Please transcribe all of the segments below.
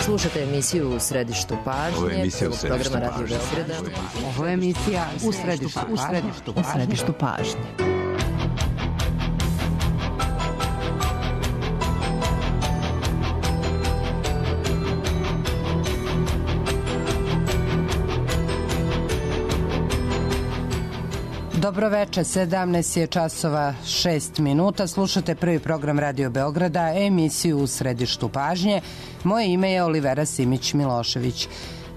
Slušate emisiju U središtu pažnje, programa Radio Beograda. Ovo je emisija U središtu pažnje. Dobro večer, 17 je časova 6 minuta. Slušate prvi program Radio Beograda, emisiju U središtu pažnje. Moje ime je Olivera Simić-Milošević.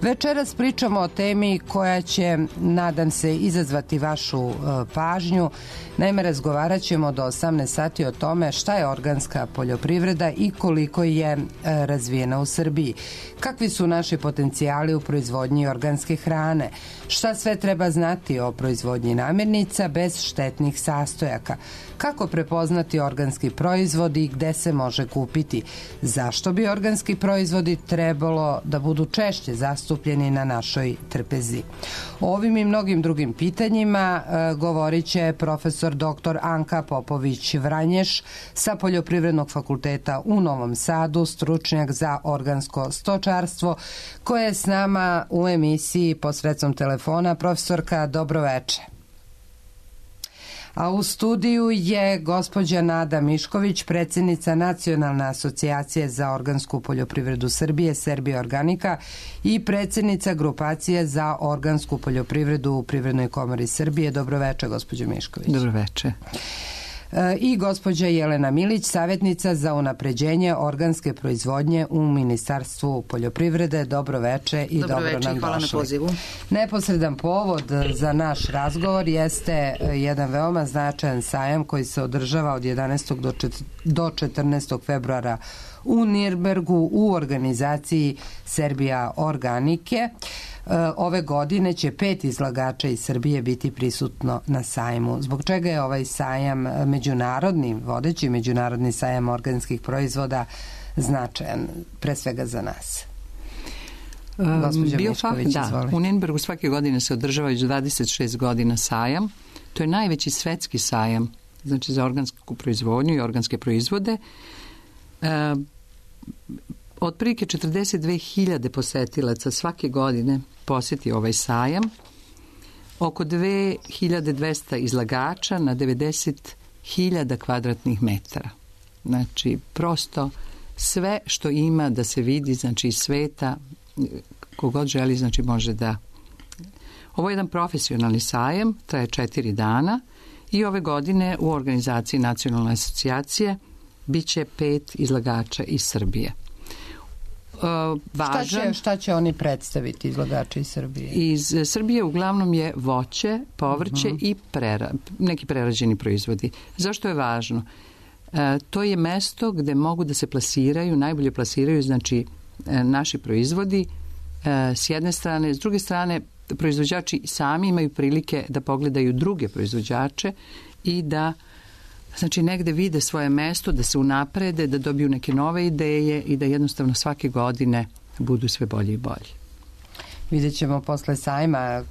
Večeras pričamo o temi koja će, nadam se, izazvati vašu pažnju. Naime, razgovarat ćemo do 18 sati o tome šta je organska poljoprivreda i koliko je razvijena u Srbiji. Kakvi su naši potencijali u proizvodnji organske hrane? Šta sve treba znati o proizvodnji namirnica bez štetnih sastojaka? Kako prepoznati organski proizvod i gde se može kupiti? Zašto bi organski proizvodi trebalo da budu češće zastupljeni na našoj trpezi? O ovim i mnogim drugim pitanjima govorit će profesor dr. Anka Popović-Vranješ sa Poljoprivrednog fakulteta u Novom Sadu, stručnjak za organsko stočarstvo, koja je s nama u emisiji posredstvom telefona. Profesorka, dobro večer. A u studiju je gospođa Nada Mišković, predsjednica Nacionalne asocijacije za organsku poljoprivredu Srbije, Serbia Organika, i predsjednica grupacije za organsku poljoprivredu u Privrednoj komori Srbije. Dobro večer, gospođo Mišković. Dobro večer. I gospođa Jelena Milić, savjetnica za unapređenje organske proizvodnje u Ministarstvu poljoprivrede. Dobro večer i dobro nam došli. Hvala na pozivu. Neposredan povod za naš razgovor jeste jedan veoma značajan sajam koji se održava od 11. do 14. februara u Nirnbergu u organizaciji Serbia Organike. Ove godine će 5 izlagača iz Srbije biti prisutno na sajmu. Zbog čega je ovaj sajam međunarodni, vodeći međunarodni sajam organskih proizvoda značajan, pre svega za nas? Biofach, da. U Nirnbergu svake godine se održava već 26 godina sajam. To je najveći svetski sajam, znači za organsku proizvodnju i organske proizvode. Otprilike 42.000 posetilaca svake godine posjeti ovaj sajam. Oko 2.200 izlagača na 90.000 kvadratnih metara. Znači, prosto sve što ima da se vidi, znači iz sveta, kogod želi, znači može da... Ovo je jedan profesionalni sajam, traje 4 dana i ove godine u organizaciji Nacionalne asocijacije biće 5 izlagača iz Srbije. Šta će oni predstaviti, izlagači iz Srbije? Iz Srbije uglavnom je voće, povrće i neki prerađeni proizvodi. Zašto je važno? To je mesto gde mogu da se plasiraju, najbolje plasiraju, znači naši proizvodi s jedne strane. S druge strane, proizvođači sami imaju prilike da pogledaju druge proizvođače i da znači negde vide svoje mesto, da se unaprede, da dobiju neke nove ideje i da jednostavno svake godine budu sve bolji i bolji. Vidjet ćemo posle sajma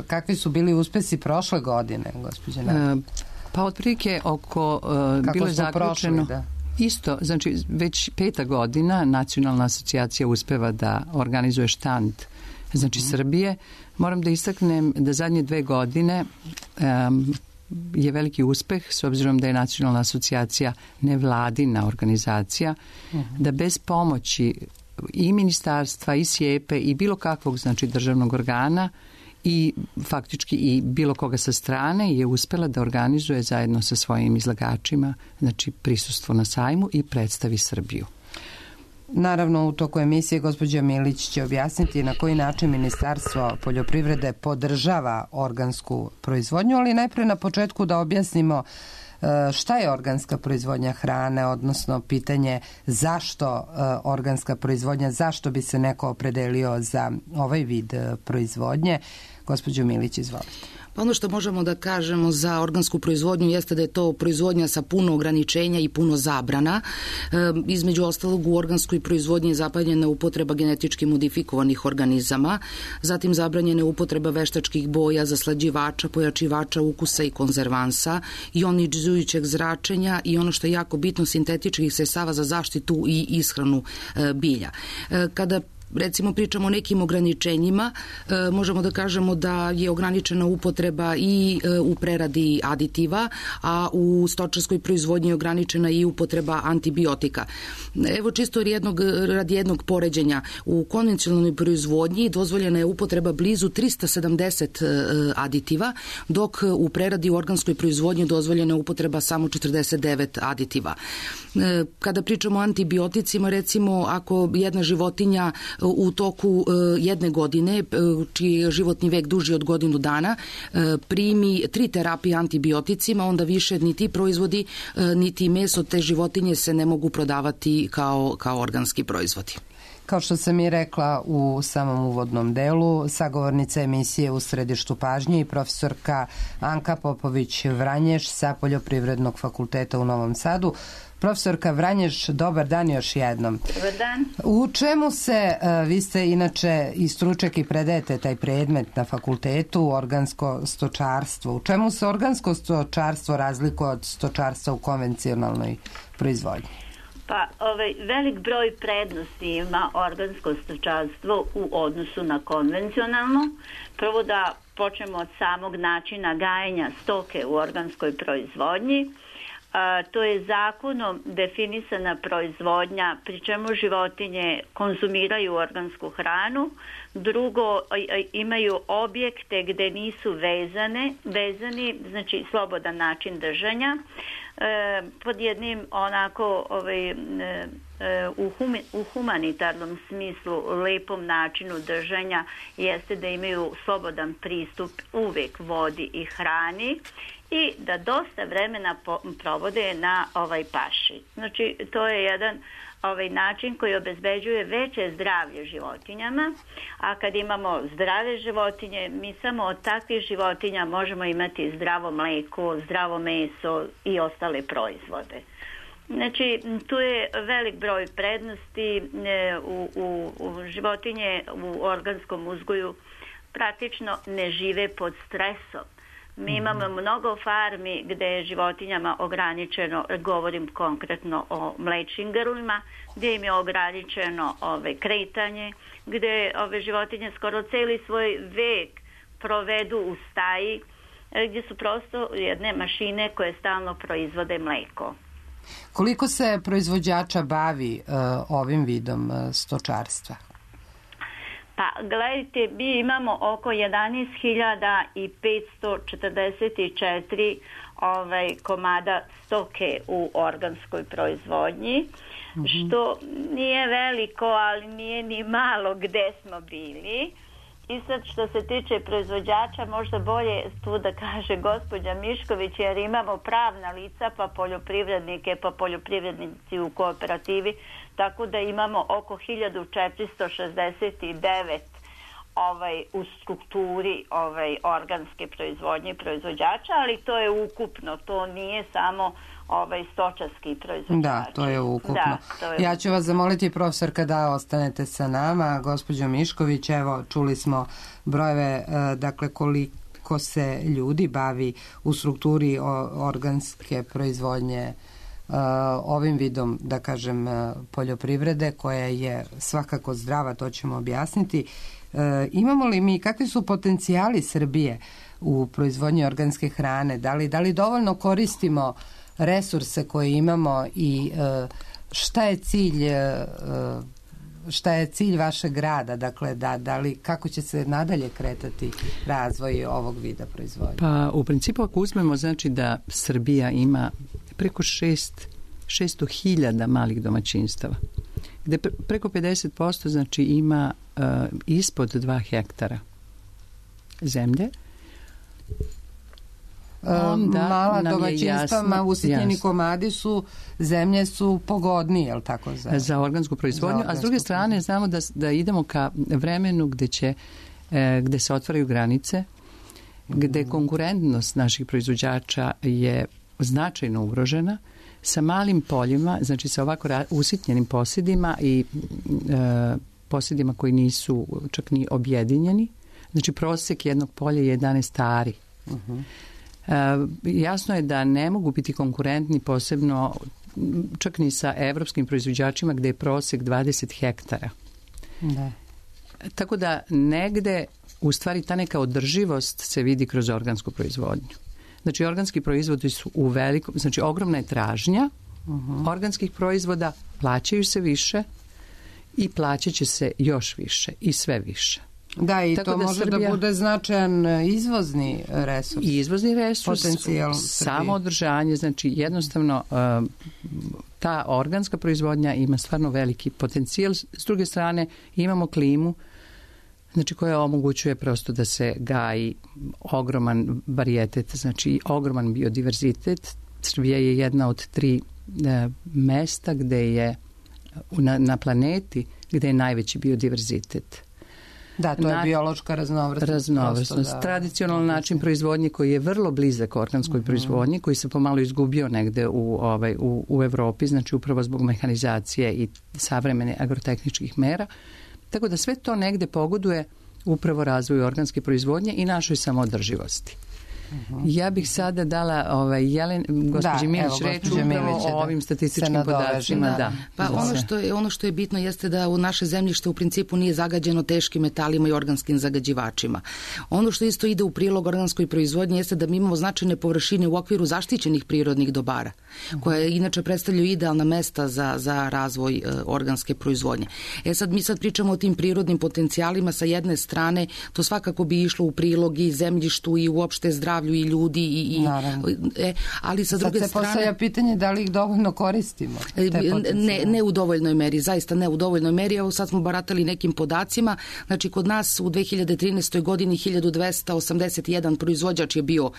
kakvi su bili uspesi prošle godine, gospođe Nada. Pa otprilike oko bilo je zaključeno isto, znači već 5. godina Nacionalna asocijacija uspeva da organizuje štand, znači Srbije. Moram da istaknem da zadnje 2 godine je veliki uspeh, s obzirom da je Nacionalna asocijacija nevladina organizacija, da bez pomoći i ministarstva, i SIEPE, i bilo kakvog, znači, državnog organa i faktički i bilo koga sa strane je uspela da organizuje zajedno sa svojim izlagačima, znači, prisustvo na sajmu i predstavi Srbiju. Naravno, u toku emisije gospođa Milić će objasniti na koji način Ministarstvo poljoprivrede podržava organsku proizvodnju, ali najpre na početku da objasnimo šta je organska proizvodnja hrane, odnosno pitanje zašto organska proizvodnja, zašto bi se neko opredelio za ovaj vid proizvodnje. Gospođo Milić, izvolite. Ono što možemo da kažemo za organsku proizvodnju jeste da je to proizvodnja sa puno ograničenja i puno zabrana. Između ostalog, u organskoj proizvodnji je zabranjena upotreba genetički modifikovanih organizama, zatim zabranjena upotreba veštačkih boja, zaslađivača, pojačivača ukusa i konzervansa, ionizujućeg zračenja i ono što je jako bitno, sintetičkih sredstava za zaštitu i ishranu bilja. Kada recimo pričamo o nekim ograničenjima, možemo da kažemo da je ograničena upotreba i u preradi aditiva, a u stočarskoj proizvodnji je ograničena i upotreba antibiotika. Evo čisto radi jednog poređenja, u konvencionalnoj proizvodnji dozvoljena je upotreba blizu 370 aditiva, dok u preradi u organskoj proizvodnji dozvoljena je upotreba samo 49 aditiva. Kada pričamo o antibioticima, recimo ako jedna životinja u toku jedne godine, čiji je životni vek duži od godinu dana, primi 3 terapije antibioticima, onda više ni ti proizvodi, niti meso te životinje se ne mogu prodavati kao organski proizvodi. Kao što sam i rekla u samom uvodnom delu, sagovornica emisije U središtu pažnje i profesorka Anka Popović-Vranješ sa Poljoprivrednog fakulteta u Novom Sadu. Profesorka Vranješ, dobar dan još jednom. Dobar dan. U čemu se, vi ste inače i stručnjak i predajete taj predmet na fakultetu, organsko stočarstvo. U čemu se organsko stočarstvo razlikuje od stočarstva u konvencionalnoj proizvodnji? Pa velik broj prednosti ima organsko stočarstvo u odnosu na konvencionalno. Prvo da počnemo od samog načina gajenja stoke u organskoj proizvodnji. To je zakonom definisana proizvodnja, pri čemu životinje konzumiraju organsku hranu. Drugo, imaju objekte gde nisu vezani, znači slobodan način držanja. Pod jednim onako u humanitarnom smislu lepom načinu držanja jeste da imaju slobodan pristup uvek vodi i hrani i da dosta vremena provode na paši. Znači to je jedan način koji obezbeđuje veće zdravlje životinjama, a kad imamo zdrave životinje, mi samo od takvih životinja možemo imati zdravo mleko, zdravo meso i ostale proizvode. Znači, tu je velik broj prednosti u životinje u organskom uzgoju praktično ne žive pod stresom. Mi imamo mnogo farmi gde je životinjama ograničeno, govorim konkretno o mlečnim grlima, gde im je ograničeno kretanje, gde ove životinje skoro celi svoj vek provedu u staji, gdje su prosto jedne mašine koje stalno proizvode mleko. Koliko se proizvođača bavi ovim vidom stočarstva? Pa, gledajte, mi imamo oko 11.544 komada stoke u organskoj proizvodnji, što nije veliko, ali nije ni malo gde smo bili. I sad što se tiče proizvođača, možda bolje tu da kaže gospođa Mišković, jer imamo pravna lica, pa poljoprivrednike, pa poljoprivrednici u kooperativi, tako da imamo oko 1469 u strukturi organske proizvodnje proizvođača, ali to je ukupno, to nije samo stočarski proizvođači. Da, to je ukupno. Ja ću vas zamoliti, profesorka, da ostanete sa nama. Gospođo Mišković, evo, čuli smo brojeve, dakle, koliko se ljudi bavi u strukturi organske proizvodnje ovim vidom, da kažem, poljoprivrede, koja je svakako zdrava, to ćemo objasniti. Imamo li mi, kakvi su potencijali Srbije u proizvodnji organske hrane? Da li dovoljno koristimo resurse koje imamo i šta je cilj vašeg rada? Dakle, kako će se nadalje kretati razvoj ovog vida proizvodnje? Pa u principu ako uzmemo, znači da Srbija ima preko 600.000 malih domaćinstava, gde preko 50% znači ima ispod 2 hektara zemlje. Mala domaćinstva, usitnjeni komadi zemlje su pogodnije, je li tako? Za organsku proizvodnju, a s druge strane znamo da idemo ka vremenu gde će gde se otvaraju granice, gde konkurentnost naših proizvođača je značajno ugrožena, sa malim poljima, znači sa ovako usitnjenim posjedima i posjedima koji nisu čak ni objedinjeni. Znači prosjek jednog polja je 11 ari. Jasno je da ne mogu biti konkurentni posebno čak ni sa evropskim proizvođačima gde je prosjek 20 hektara. Da. Tako da negde u stvari ta neka održivost se vidi kroz organsku proizvodnju. Znači organski proizvodi su u velikom, znači ogromna je tražnja organskih proizvoda, plaćaju se više i plaćat će se još više i sve više. Da, i tako to može Srbija, da bude značajan izvozni resurs. I izvozni resurs, potencijal samo održanje, znači jednostavno ta organska proizvodnja ima stvarno veliki potencijal. S druge strane imamo klimu, znači koja omogućuje prosto da se gaji ogroman varijetet, znači ogroman biodiverzitet. Srbija je jedna od 3 mesta gde je na planeti gde je najveći biodiverzitet. Da, to je biološka raznovrsnost. Tradicionalan način proizvodnje koji je vrlo blizak organskoj proizvodnji, koji se pomalo izgubio negde u Evropi, znači upravo zbog mehanizacije i savremene agrotehničkih mera. Tako da sve to negde pogoduje upravo razvoju organske proizvodnje i našoj samoodrživosti. Ja bih sada dala gospođi Milić reč upravo o ovim statističkim podacima. Da. Pa ono što je bitno jeste da u naše zemljište u principu nije zagađeno teškim metalima i organskim zagađivačima. Ono što isto ide u prilog organskoj proizvodnji jeste da mi imamo značajne površine u okviru zaštićenih prirodnih dobara, koje inače predstavljaju idealna mesta za razvoj organske proizvodnje. Mi sad pričamo o tim prirodnim potencijalima. Sa jedne strane, to svakako bi išlo u prilog i zemljištu i uopšte zdravlju i ljudi ali sa druge strane... Sad se postavlja pitanje da li ih dovoljno koristimo? Ne u dovoljnoj meri, zaista ne u dovoljnoj meri. Evo sad smo baratali nekim podacima. Znači kod nas u 2013. godini 1281 proizvođač je bio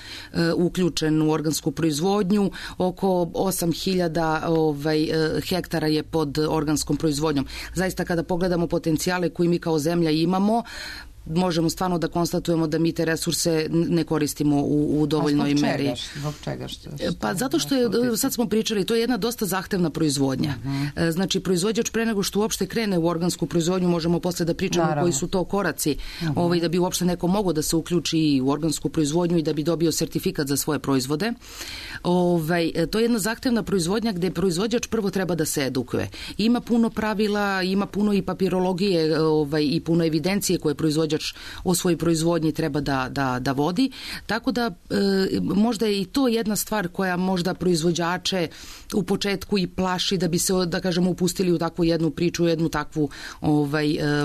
uključen u organsku proizvodnju, oko 8000 hektara je pod organskom proizvodnjom. Zaista kada pogledamo potencijale koje mi kao zemlja imamo, možemo stvarno da konstatujemo da mi te resurse ne koristimo u dovoljnoj meri. Zbog čega? Pa zato što je, sad smo pričali, to je jedna dosta zahtevna proizvodnja. Znači, proizvođač pre nego što uopšte krene u organsku proizvodnju, možemo posle da pričamo koji su to koraci, da bi uopšte neko mogao da se uključi u organsku proizvodnju i da bi dobio sertifikat za svoje proizvode. To je jedna zahtevna proizvodnja gde proizvođač prvo treba da se edukuje. Ima puno pravila, ima puno i papirologije i puno evidencije koje proizvođač o svojoj proizvodnji treba da vodi. Tako da možda je i to jedna stvar koja možda proizvođače u početku i plaši da bi se, da kažemo, upustili u takvu jednu priču, jednu takvu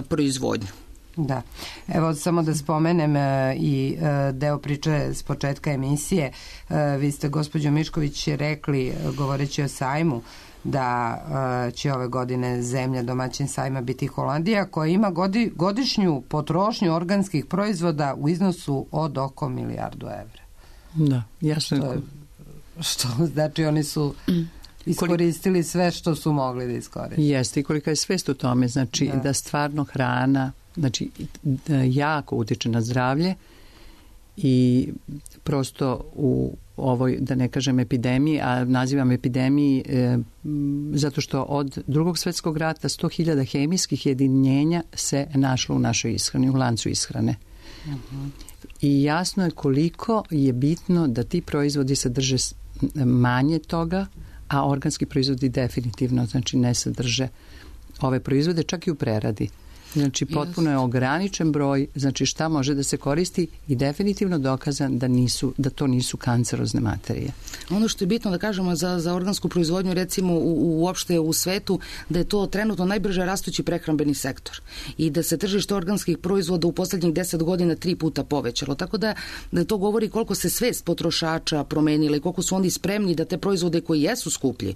proizvodnju. Da. Evo samo da spomenem i deo priče s početka emisije. Vi ste, gospođo Mišković, rekli, govoreći o sajmu, da će ove godine zemlja domaćin sajma biti Holandija, koja ima godišnju potrošnju organskih proizvoda u iznosu od oko 1 milijardu evra. Da, jasno. Što znači oni su iskoristili sve što su mogli da iskoriste. Jeste, i kolika je svest u tome, znači da stvarno hrana, znači jako utiče na zdravlje i prosto u ovoj, da ne kažem epidemiji, a nazivam epidemiji zato što od Drugog svjetskog rata 100.000 hemijskih jedinjenja se našlo u našoj ishrani, u lancu ishrane. I jasno je koliko je bitno da ti proizvodi sadrže manje toga, a organski proizvodi definitivno, znači ne sadrže ove proizvode, čak i u preradi. Znači, potpuno je ograničen broj, znači šta može da se koristi i definitivno dokazan da to nisu kancerozne materije. Ono što je bitno da kažemo za organsku proizvodnju, recimo uopšte u svetu, da je to trenutno najbrže rastući prehrambeni sektor i da se tržište organskih proizvoda u poslednjih 10 godina 3 puta povećalo. Tako da to govori koliko se svest potrošača promenila i koliko su oni spremni da te proizvode koji jesu skuplji,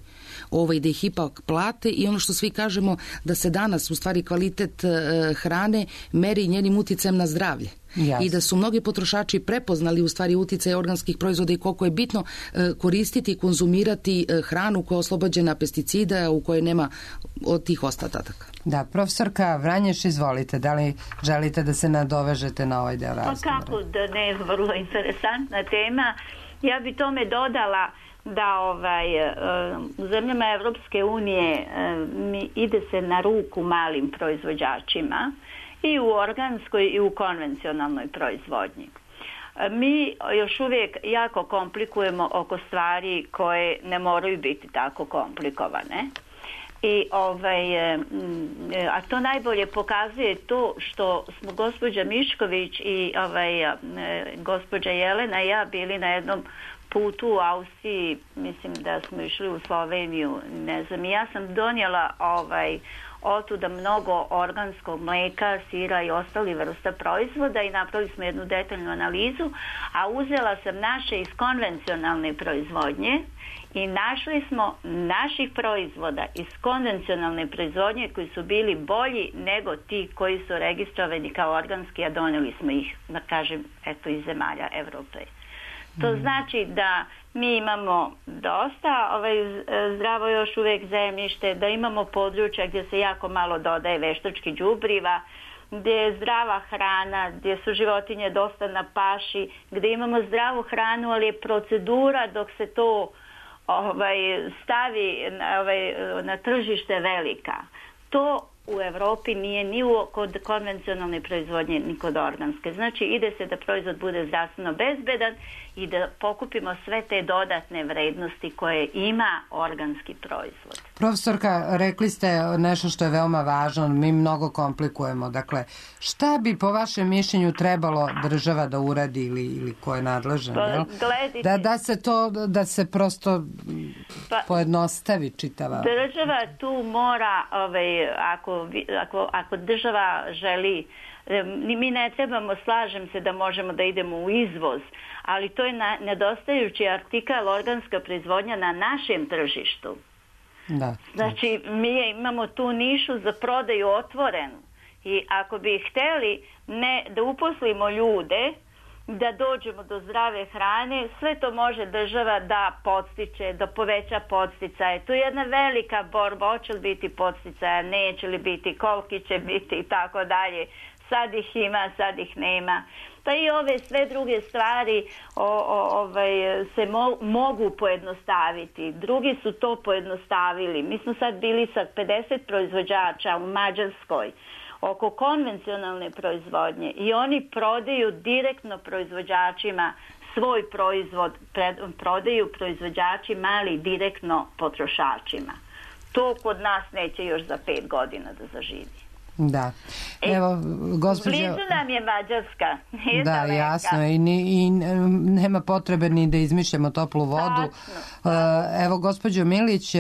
da ih ipak plate, i ono što svi kažemo da se danas u stvari kvalitet hrane meri njenim uticajem na zdravlje. Jasne. I da su mnogi potrošači prepoznali u stvari uticaj organskih proizvoda i koliko je bitno koristiti i konzumirati hranu koja je oslobođena pesticida, u kojoj nema od tih ostataka. Da, profesorka Vranješ, izvolite, da li želite da se nadovežete na ovaj deo razgovora? Pa kako da ne, vrlo interesantna tema. Ja bi tome dodala da u zemljama Evropske unije ide se na ruku malim proizvođačima i u organskoj i u konvencionalnoj proizvodnji. Mi još uvijek jako komplikujemo oko stvari koje ne moraju biti tako komplikovane. A to najbolje pokazuje to što smo gospođa Mišković i gospođa Jelena i ja bili na jednom putu u Austriji, mislim da smo išli u Sloveniju, ne znam, i ja sam donijela otuda mnogo organskog mlijeka, sira i ostali vrsta proizvoda i napravili smo jednu detaljnu analizu, a uzela sam naše iz konvencionalne proizvodnje i našli smo naših proizvoda iz konvencionalne proizvodnje koji su bili bolji nego ti koji su registrovani kao organski, a donijeli smo ih, da kažem, eto, iz zemalja Evrope. To znači da mi imamo dosta zdravo još uvijek zemljište, da imamo područja gdje se jako malo dodaje veštačkih đubriva, gdje je zdrava hrana, gdje su životinje dosta na paši, gdje imamo zdravu hranu, ali je procedura dok se to stavi na tržište velika. To u Europi nije ni kod konvencionalne proizvodnje ni kod organske. Znači ide se da proizvod bude zdravstveno bezbedan i da pokupimo sve te dodatne vrednosti koje ima organski proizvod. Profesorka, rekli ste nešto što je veoma važno, mi mnogo komplikujemo. Dakle, šta bi po vašem mišljenju trebalo država da uradi ili ko je nadležan? Da se prosto pojednostavi čitava. Država tu mora, ako država želi, mi ne trebamo, slažem se da možemo da idemo u izvoz, ali to je nedostajući artikal organska proizvodnja na našem tržištu. Da. Znači, mi imamo tu nišu za prodaju otvorenu i ako bi hteli da uposlimo ljude, da dođemo do zdrave hrane, sve to može država da podstiče, da poveća podsticaje. Tu je jedna velika borba, hoće li biti podsticaja, neće li biti, koliki će biti i tako dalje. Sad ih ima, sad ih nema. Pa i ove sve druge stvari se mogu pojednostaviti. Drugi su to pojednostavili. Mi smo sad bili sa 50 proizvođača u Mađarskoj oko konvencionalne proizvodnje i oni prodaju direktno proizvođačima svoj proizvod, prodaju proizvođači mali direktno potrošačima. To kod nas neće još za 5 godina da zaživi. Da. Evo, gospođo... Blizu nam je Mađarska. Da, jasno. I nema potrebe ni da izmišljamo toplu vodu. Evo, gospođo Milić,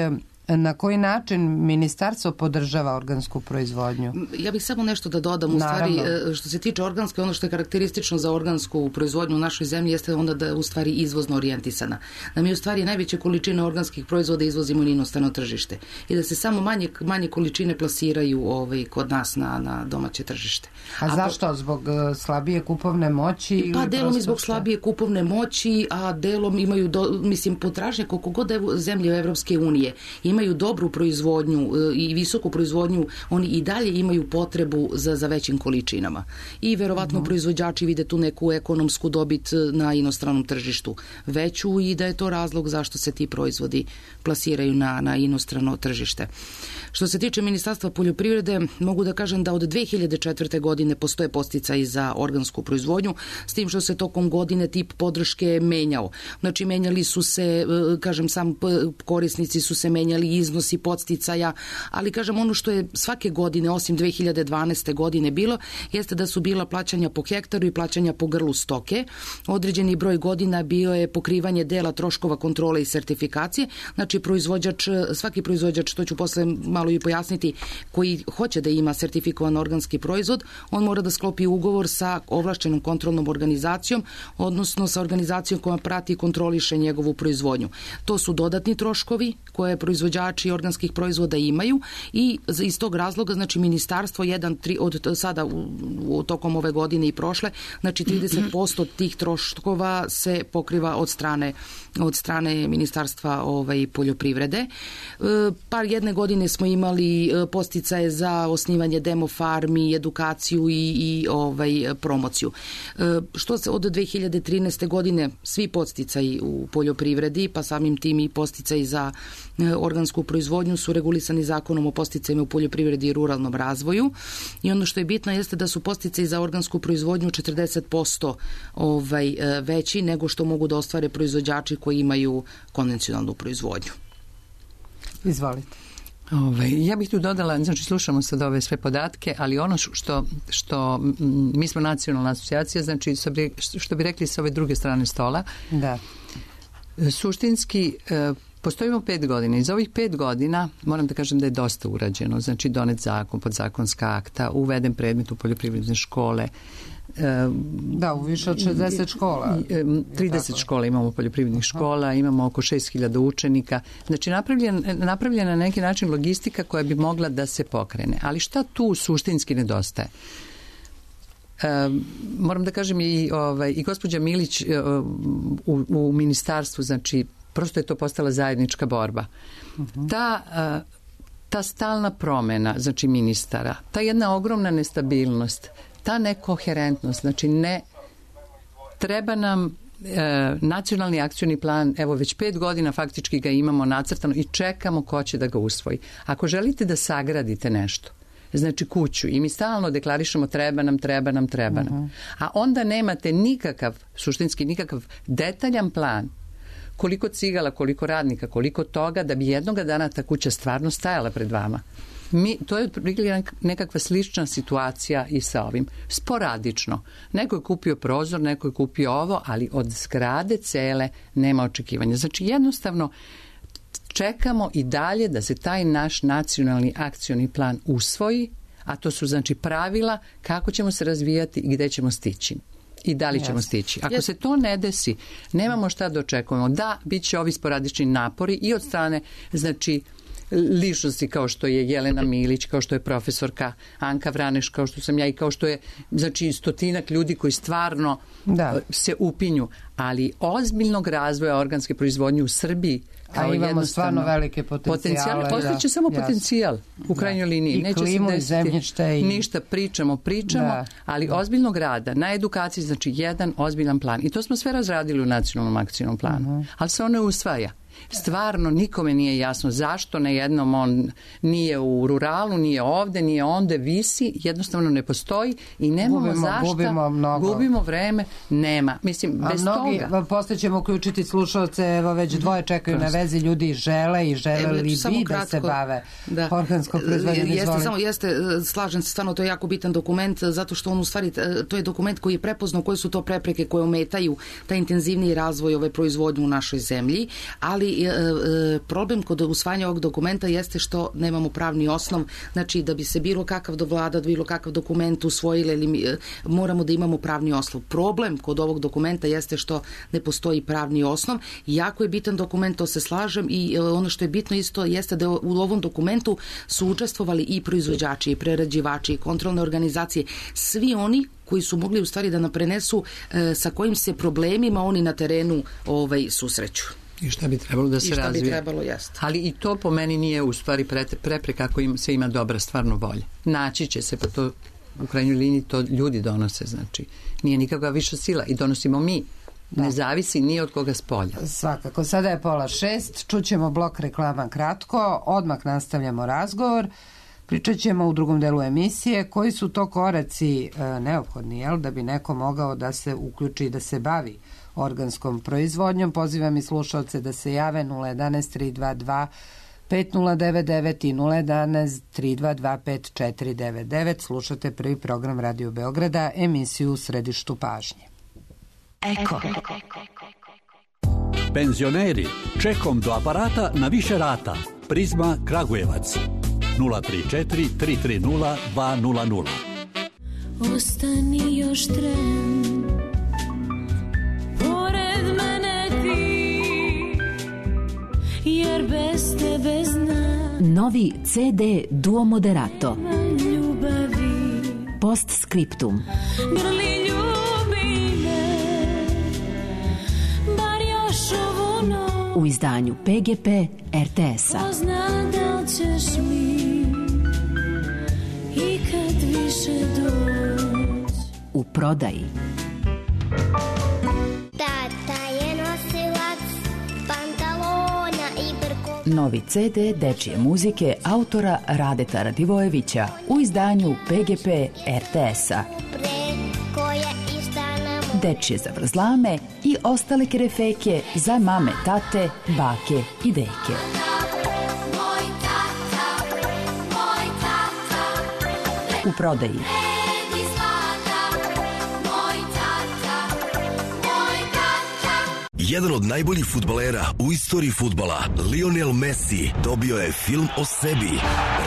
na koji način ministarstvo podržava organsku proizvodnju? Ja bih samo nešto da dodam. U stvari, što se tiče organske, ono što je karakteristično za organsku proizvodnju u našoj zemlji jeste onda da je u stvari izvozno orijentisana. Da mi u stvari najveće količine organskih proizvoda izvozimo na inostrano tržište i da se samo manje količine plasiraju kod nas na domaće tržište. A zašto? Zbog slabije kupovne moći? Pa delom i zbog slabije kupovne moći, a delom imaju, potražnje koliko god zemlje Evropske unije imaju dobru proizvodnju i visoku proizvodnju, oni i dalje imaju potrebu za većim količinama. I verovatno proizvođači vide tu neku ekonomsku dobit na inostranom tržištu veću i da je to razlog zašto se ti proizvodi plasiraju na inostrano tržište. Što se tiče Ministarstva poljoprivrede, mogu da kažem da od 2004. godine postoje podsticaji za organsku proizvodnju, s tim što se tokom godine tip podrške menjao. Znači, menjali su se, sam korisnici su se menjali, iznosi podsticaja, ali ono što je svake godine, osim 2012. godine bilo, jeste da su bila plaćanja po hektaru i plaćanja po grlu stoke. Određeni broj godina bio je pokrivanje dela troškova kontrole i sertifikacije. Znači, svaki proizvođač, to ću posle malo i pojasniti, koji hoće da ima sertifikovan organski proizvod, on mora da sklopi ugovor sa ovlašćenom kontrolnom organizacijom, odnosno sa organizacijom koja prati i kontroliše njegovu proizvodnju. To su dodatni troškovi koje proizvođač proizvođači organskih proizvoda imaju i iz tog razloga, znači ministarstvo od sada tokom ove godine i prošle, znači 30% tih troškova se pokriva od strane Ministarstva poljoprivrede. Jedne godine smo imali podsticaje za osnivanje demo farmi, edukaciju i promociju. Što se od 2013. godine svi podsticaji u poljoprivredi, pa samim tim i podsticaji za organsku proizvodnju su regulisani zakonom o podsticajima u poljoprivredi i ruralnom razvoju. I ono što je bitno jeste da su podsticaji za organsku proizvodnju 40% veći nego što mogu da ostvare proizvođači koji imaju konvencionalnu proizvodnju. Izvolite. Ja bih tu dodala, znači slušamo sad ove sve podatke, ali ono što mi smo nacionalna asocijacija, znači što bi rekli sa ove druge strane stola, da. Suštinski postojimo 5 godina. Iz ovih 5 godina moram da kažem da je dosta urađeno, znači donet zakon, podzakonska akta, uveden predmet u poljoprivredne škole. Da, u više od 60 škola. 30 škola imamo poljoprivrednih škola, imamo oko 6.000 učenika. Znači napravljena na neki način logistika koja bi mogla da se pokrene. Ali šta tu suštinski nedostaje? Moram da kažem i gospođa Milić u ministarstvu, znači prosto je to postala zajednička borba. Ta stalna promena, znači ministara, ta jedna ogromna nestabilnost, ta nekoherentnost, znači treba nam nacionalni akcioni plan, evo već 5 godina faktički ga imamo nacrtano i čekamo ko će da ga usvoji. Ako želite da sagradite nešto, znači kuću, i mi stalno deklarišemo treba nam. A onda nemate suštinski nikakav detaljan plan koliko cigala, koliko radnika, koliko toga, da bi jednoga dana ta kuća stvarno stajala pred vama. To je nekakva slična situacija i sa ovim. Sporadično. Neko je kupio prozor, neko je kupio ovo, ali od zgrade cele nema očekivanja. Znači jednostavno čekamo i dalje da se taj naš nacionalni akcioni plan usvoji, a to su znači pravila kako ćemo se razvijati i gde ćemo stići. I da li ćemo stići. Ako se to ne desi, nemamo šta da očekujemo. Da, bit će ovi sporadični napori i od strane, znači, ličnosti kao što je Jelena Milić, kao što je profesorka Anka Vraneš, kao što sam ja i kao što je, znači, 100-ak ljudi koji stvarno se upinju. Ali ozbiljnog razvoja organske proizvodnje u Srbiji, a imamo stvarno velike potencijale. Postojiće samo potencijal u krajnjoj liniji. I klimu i zemljište. Ništa, pričamo, ali ozbiljnog rada na edukaciji, znači jedan ozbiljan plan. I to smo sve razradili u nacionalnom akcijnom planu. Ali se ono usvaja. Stvarno nikome nije jasno zašto na jednom on nije u ruralu, nije ovde, nije onde, visi, jednostavno ne postoji i nemamo zašto, gubimo vreme, nema. Mislim, bez toga. Posle ćemo uključiti slušalce, evo već dvoje čekaju na vezi, ljudi žele li bi da se bave organskom proizvodnjom. Slažem se, stvarno to je jako bitan dokument, zato što on u stvari, to je dokument koji je prepoznao koje su to prepreke koje ometaju taj intenzivniji razvoj ove proizvodnje u našoj zemlji, ali problem kod usvajanja ovog dokumenta jeste što nemamo pravni osnov, znači da bi se bilo kakav vlada, bilo kakav dokument usvojili, moramo da imamo pravni osnov. Problem kod ovog dokumenta jeste što ne postoji pravni osnov. Jako je bitan dokument, to se slažem, i ono što je bitno isto jeste da u ovom dokumentu su učestvovali i proizvođači, i prerađivači, i kontrolne organizacije, svi oni koji su mogli u stvari da nam prenesu sa kojim se problemima oni na terenu susreću. I šta bi trebalo da se razvije. Ali i to po meni nije u stvari prepreka ako se ima dobra stvarno volja. Naći će se, pa to u krajnjoj liniji to ljudi donose, znači nije nikakva viša sila i donosimo mi. Ne zavisi ni od koga s polja. Svakako, sada je 5:30, čućemo blok reklama kratko, odmah nastavljamo razgovor. Pričat ćemo u drugom delu emisije koji su to koraci neophodni, da bi neko mogao da se uključi i da se bavi organskom proizvodnjom. Pozivam i slušalce da se jave 011-322 5099 i 011-322 5499. Slušate prvi program Radio Beograda, emisiju U središtu pažnje. Eko. Penzioneri, čekom do aparata na više rata. Prizma Kragujevac 034 330 200. Ostani još tren, pored mene ti, jer bez tebe znam Novi CD Duo Moderato. Post Scriptum. U izdanju PGP RTS-a. U prodaji. Tata je nosilac pantalona i brko. Novi CD dečije muzike autora Radeta Radivojevića u izdanju PGP RTS-a. Dečije zavrzlame i ostale kerefeke za mame, tate, bake i deke. U prodaji. Jedan od najboljih fudbalera u istoriji fudbala, Lionel Messi, dobio je film o sebi.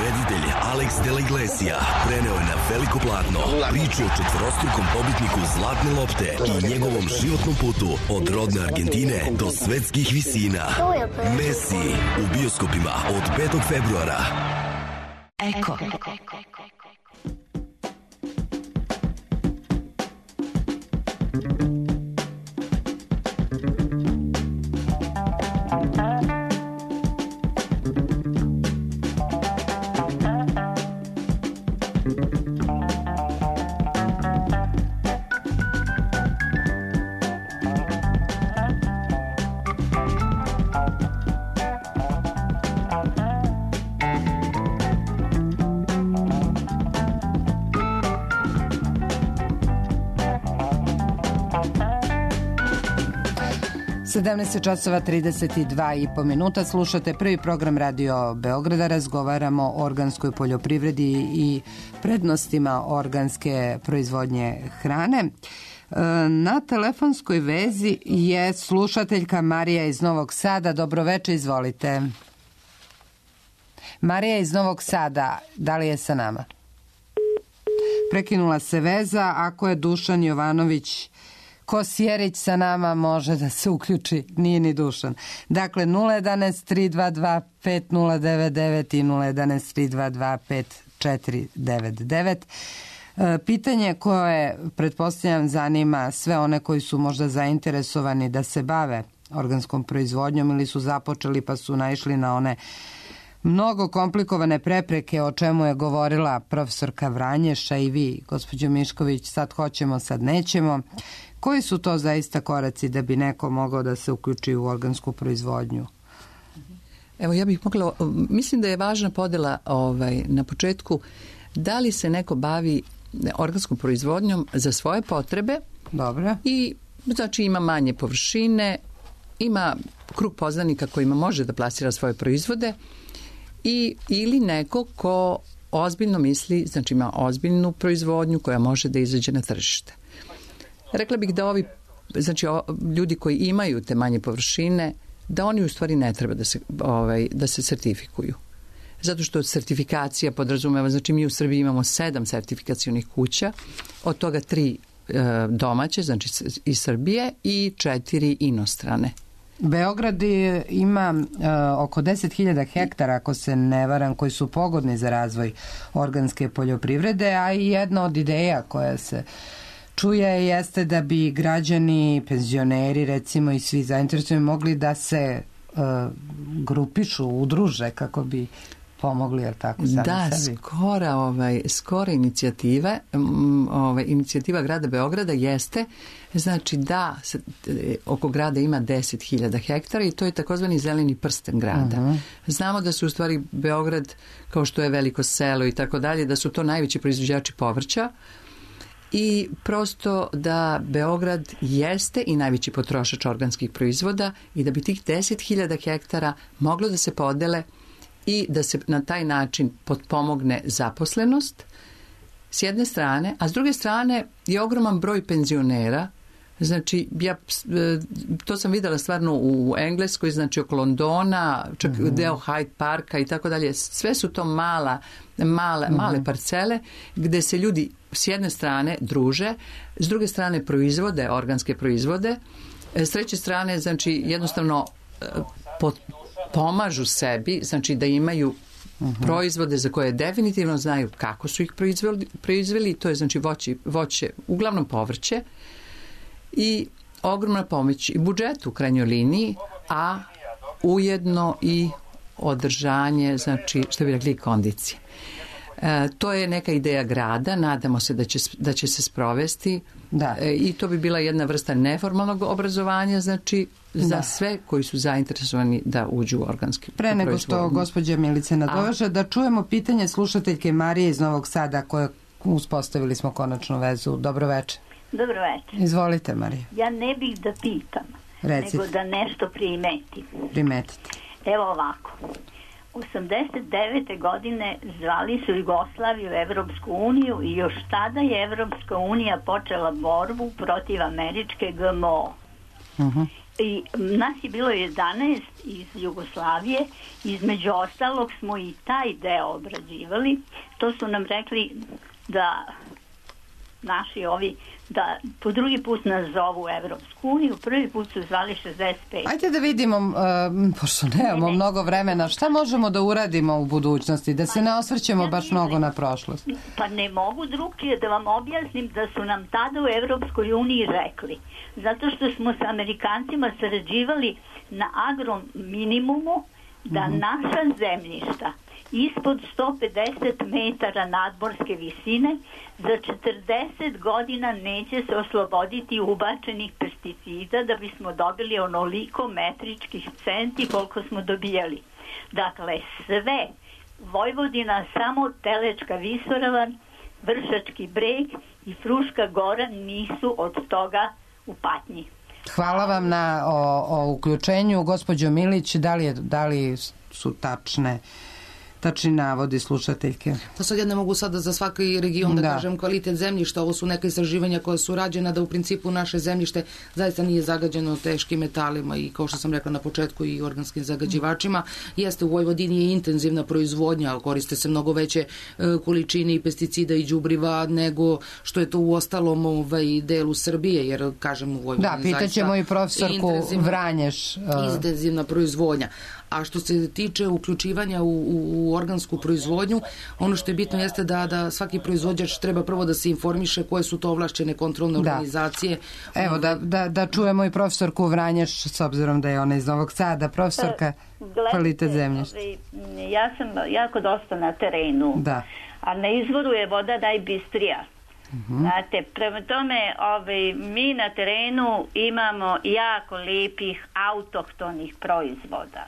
Reditelj Alex de la Iglesia preneo je na veliko platno priču o četvorostrukom pobitniku Zlatne lopte i njegovom životnom putu od rodne Argentine do svetskih visina. Messi u bioskopima od 5. februara. Eko. časova 32,5 minuta. Slušate prvi program Radio Beograda. Razgovaramo o organskoj poljoprivredi i prednostima organske proizvodnje hrane. Na telefonskoj vezi je slušateljka Marija iz Novog Sada. Dobroveče, izvolite. Marija iz Novog Sada, da li je sa nama? Prekinula se veza. Ako je Dušan Jovanović Kosjerić sa nama, može da se uključi, nije ni Dušan. Dakle, 011-322-5099 i 011-322-5499. Pitanje koje, pretpostavljam, zanima sve one koji su možda zainteresovani da se bave organskom proizvodnjom ili su započeli pa su naišli na one mnogo komplikovane prepreke o čemu je govorila profesorka Vranješa i vi, gospođo Mišković, sad hoćemo, sad nećemo. Koji su to zaista koraci da bi neko mogao da se uključi u organsku proizvodnju? Evo, ja bih mogla, mislim da je važna podela na početku, da li se neko bavi organskom proizvodnjom za svoje potrebe. Dobro. I znači ima manje površine, ima krug poznanika kojima može da plasira svoje proizvode ili neko ko ozbiljno misli, znači ima ozbiljnu proizvodnju koja može da izađe na tržište. Rekla bih da ljudi koji imaju te manje površine, da oni u stvari ne treba da se sertifikuju. Zato što sertifikacija podrazumeva, znači mi u Srbiji imamo 7 sertifikacionih kuća, od toga 3 domaće, znači iz Srbije, i 4 inostrane. Beograd ima oko 10.000 hektara, ako se ne varam, koji su pogodni za razvoj organske poljoprivrede, a i jedna od ideja koja se čuje jeste da bi građani, penzioneri recimo i svi zainteresovani mogli da se grupišu, udruže kako bi pomogli, jer tako sami sebi. Da, skora inicijativa, inicijativa grada Beograda jeste, znači da oko grada ima 10.000 hektara i to je takozvani zeleni prsten grada. Znamo da su u stvari Beograd, kao što je veliko selo i tako dalje, da su to najveći proizvođači povrća, i prosto da Beograd jeste i najveći potrošač organskih proizvoda i da bi tih 10.000 hektara moglo da se podele i da se na taj način potpomogne zaposlenost s jedne strane, a s druge strane je ogroman broj penzionera. Znači, to sam videla stvarno u Engleskoj, znači oko Londona, čak deo Hyde Parka i tako dalje. Sve su to male parcele gde se ljudi s jedne strane druže, s druge strane proizvode, organske proizvode, s treće strane, znači, jednostavno pomažu sebi, znači da imaju proizvode za koje definitivno znaju kako su ih proizveli, to je znači voće, uglavnom povrće, i ogromna pomoć i budžetu u krajnjoj liniji, a ujedno i održanje, znači, što bi rekli, kondicije. To je neka ideja grada, nadamo se da će se sprovesti. Da. I to bi bila jedna vrsta neformalnog obrazovanja, znači, za sve koji su zainteresovani da uđu u organski proizvod. Pre nego što gospođa Milice nadoveže, da čujemo pitanje slušateljke Marije iz Novog Sada, koje uspostavili smo konačnu vezu. Dobro večer. Dobro večer. Izvolite, Marija. Ja ne bih da pitam, nego da nešto primetim. Primetite. Evo ovako. 89. godine zvali su Jugoslaviju Evropsku uniju i još tada je Evropska unija počela borbu protiv američke GMO. I nas je bilo 11 iz Jugoslavije, između ostalog smo i taj deo obrađivali. To su nam rekli da naši ovi, da po drugi put nas zovu Evropsku uniju, prvi put su zvali 65. Ajde da vidimo, pošto nemamo mnogo vremena, šta možemo da uradimo u budućnosti, da se ne osvrćemo baš mnogo na prošlost. Pa ne mogu drugčije da vam objasnim da su nam tada u Evropskoj uniji rekli. Zato što smo sa Amerikancima sarađivali na agrominimumu, da naša zemljišta ispod 150 metara nadmorske visine za 40 godina neće se osloboditi ubačenih pesticida da bismo dobili onoliko metričkih centi koliko smo dobijali. Dakle, sve, Vojvodina, samo Telečka visoravan, Vršački breg i Fruška gora nisu od toga u patnji. Hvala vam na o uključenju. Gospođo Milić, da li su tačni navodi slušateljke? Pa sad ja ne mogu sada za svaki region da kažem kvalitet zemljišta. Ovo su neka istraživanja koja su rađena da u principu naše zemljište zaista nije zagađeno teškim metalima i kao što sam rekla na početku i organskim zagađivačima. Jeste, u Vojvodini je intenzivna proizvodnja, ali koriste se mnogo veće količine i pesticida i đubriva nego što je to u ostalom delu Srbije, jer kažem u Vojvodini zaista pitaćemo i profesorku Vranješ. Intenzivna proizvodnja. A što se tiče uključivanja u organsku proizvodnju, ono što je bitno jeste da svaki proizvođač treba prvo da se informiše koje su to ovlašćene kontrolne organizacije. Evo, da čujemo i profesorku Vranješ, s obzirom da je ona iz Novog Sada, profesorka kvalitet zemljišta. Ja sam jako dosta na terenu, a na izvoru je voda najbistrija. Znate, prema tome mi na terenu imamo jako lijepih autohtonih proizvoda.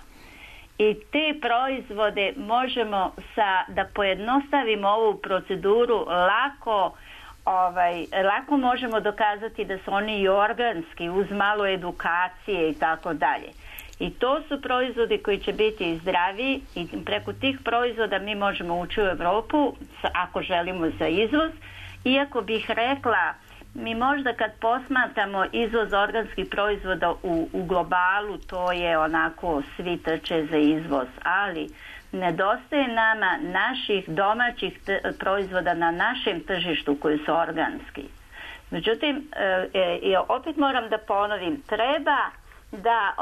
I te proizvode možemo da pojednostavimo ovu proceduru lako možemo dokazati da su oni i organski uz malo edukacije i tako dalje. I to su proizvodi koji će biti zdravi i preko tih proizvoda mi možemo ući u Evropu ako želimo za izvoz. Iako bih rekla, mi možda kad posmatramo izvoz organskih proizvoda u globalu, to je onako svi trče za izvoz, ali nedostaje nama naših domaćih proizvoda na našem tržištu koji su organski. Međutim, opet moram da ponovim, treba da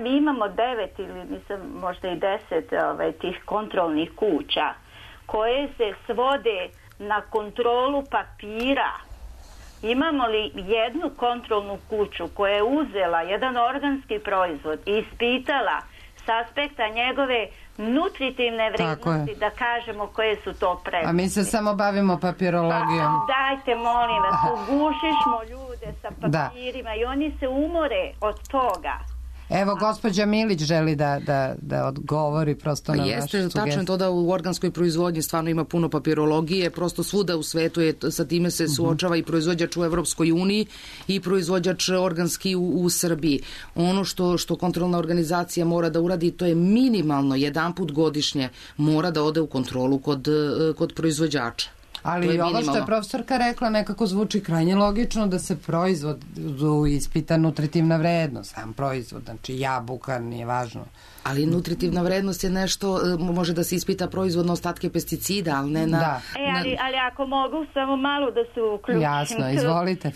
mi imamo 9 ili možda i 10 tih kontrolnih kuća koje se svode na kontrolu papira. Imamo li jednu kontrolnu kuću koja je uzela jedan organski proizvod i ispitala s aspekta njegove nutritivne vrednosti, da kažemo koje su to prednosti? A mi se samo bavimo papirologijom. Dajte, molim vas, ugušišmo ljude sa papirima i oni se umore od toga. Evo, gospođa Milić želi da odgovori prosto na vašu sugestiju. Jeste, tačno je to da u organskoj proizvodnji stvarno ima puno papirologije, prosto svuda u svetu sa time se suočava i proizvođač u Evropskoj uniji i proizvođač organski u Srbiji. Ono što kontrolna organizacija mora da uradi, to je minimalno jedanput godišnje mora da ode u kontrolu kod proizvođača. Ali ovo što je profesorka rekla nekako zvuči krajnje logično da se proizvodu ispita nutritivna vrednost, sam proizvod, znači jabuka, nije važno. Ali nutritivna vrednost je nešto, može da se ispita proizvodno ostatke pesticida, ali ne na... Da. Ali ako mogu samo malo da se uključim. Jasno, izvolite.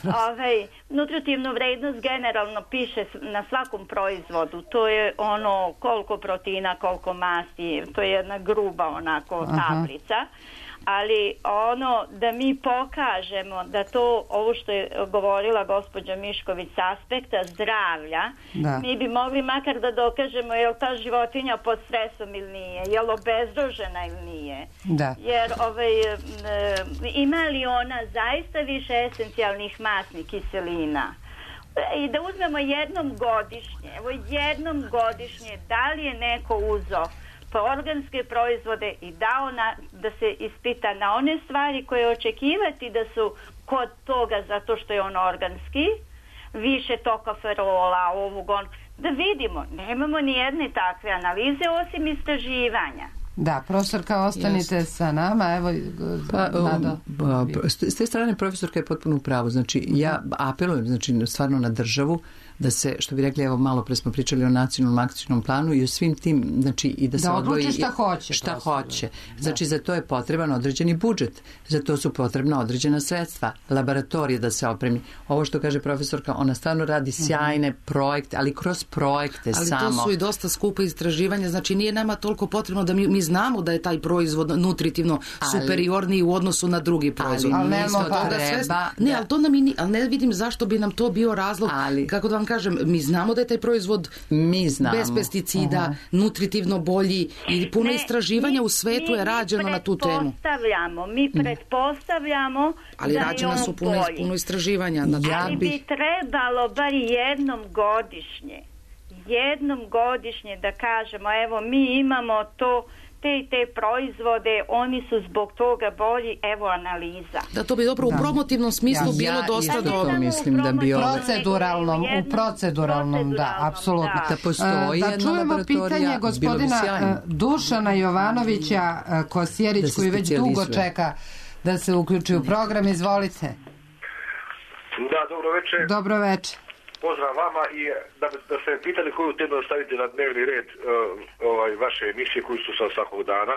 Nutritivnu vrednost generalno piše na svakom proizvodu. To je ono koliko proteina, koliko masti, to je jedna gruba onako tablica. Ali ono da mi pokažemo da to, ovo što je govorila gospođa Mišković s aspekta zdravlja, mi bi mogli makar da dokažemo je li ta životinja pod stresom ili nije, je li obezrožena ili nije. Da. Jer ima li ona zaista više esencijalnih masnih kiselina? I da uzmemo jednom godišnje, da li je neko uzeo organske proizvode i dao da se ispita na one stvari koje očekivati da su kod toga zato što je on organski, više tokoferola, da vidimo, nemamo ni jedne takve analize osim istraživanja. Da, profesorka, ostanite sa nama. Evo, s te strane profesorka je potpuno u pravu. Znači, ja apelujem stvarno na državu da se, što bi rekli, evo malo pre smo pričali o nacionalnom akcijnom planu i o svim tim, znači i da se odvoji šta hoće. Znači za to je potreban određeni budžet, za to su potrebna određena sredstva, laboratorije da se opremi. Ovo što kaže profesorka, ona stvarno radi sjajne projekte, ali kroz projekte ali samo. Ali to su i dosta skupa istraživanja, znači nije nama toliko potrebno da mi znamo da je taj proizvod nutritivno superiorniji u odnosu na drugi proizvod. Ali to nam ali ne vidim zašto bi nam to bio razlog, kako da vam kažem, mi znamo da je taj proizvod bez pesticida, nutritivno bolji i puno istraživanja u svetu je rađeno na tu temu. Mi pretpostavljamo ali da rađena su puno istraživanja. Ali bi trebalo bar jednom godišnje da kažemo, evo mi imamo to te proizvode, oni su zbog toga bolji, evo analiza. Da, to bi dobro u promotivnom smislu bilo dosta dobro. Mislim da bi u proceduralnom, da, apsolutno. Da postoji da čujemo pitanje gospodina Dušana Jovanovića Kosjerić, koji već dugo čeka da se uključi u program. Izvolite. Da, dobro večer. Dobro večer. Pozdrav vama i da se pitali koju temu da stavite na dnevni red vaše emisije koju su svakog dana,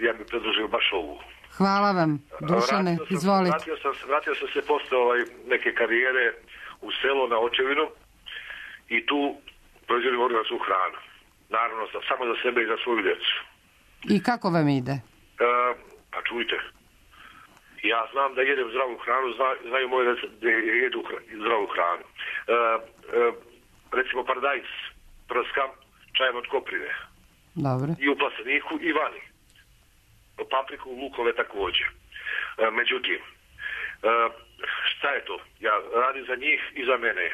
ja bih predložio baš ovu. Hvala vam, Dušane, izvolite. Vratio sam se posle neke karijere u selo na očevinu i tu proizvodim organsku hranu. Naravno, samo za sebe i za svoju djecu. I kako vam ide? Pa čujte. Ja znam da jedem zdravu hranu, znaju moje da jedu zdravu hranu. Recimo paradajz prskam čajem od koprine. Dobre. I u plasteniku i vani. Papriku, lukove također. Međutim, šta je to? Ja radim za njih i za mene.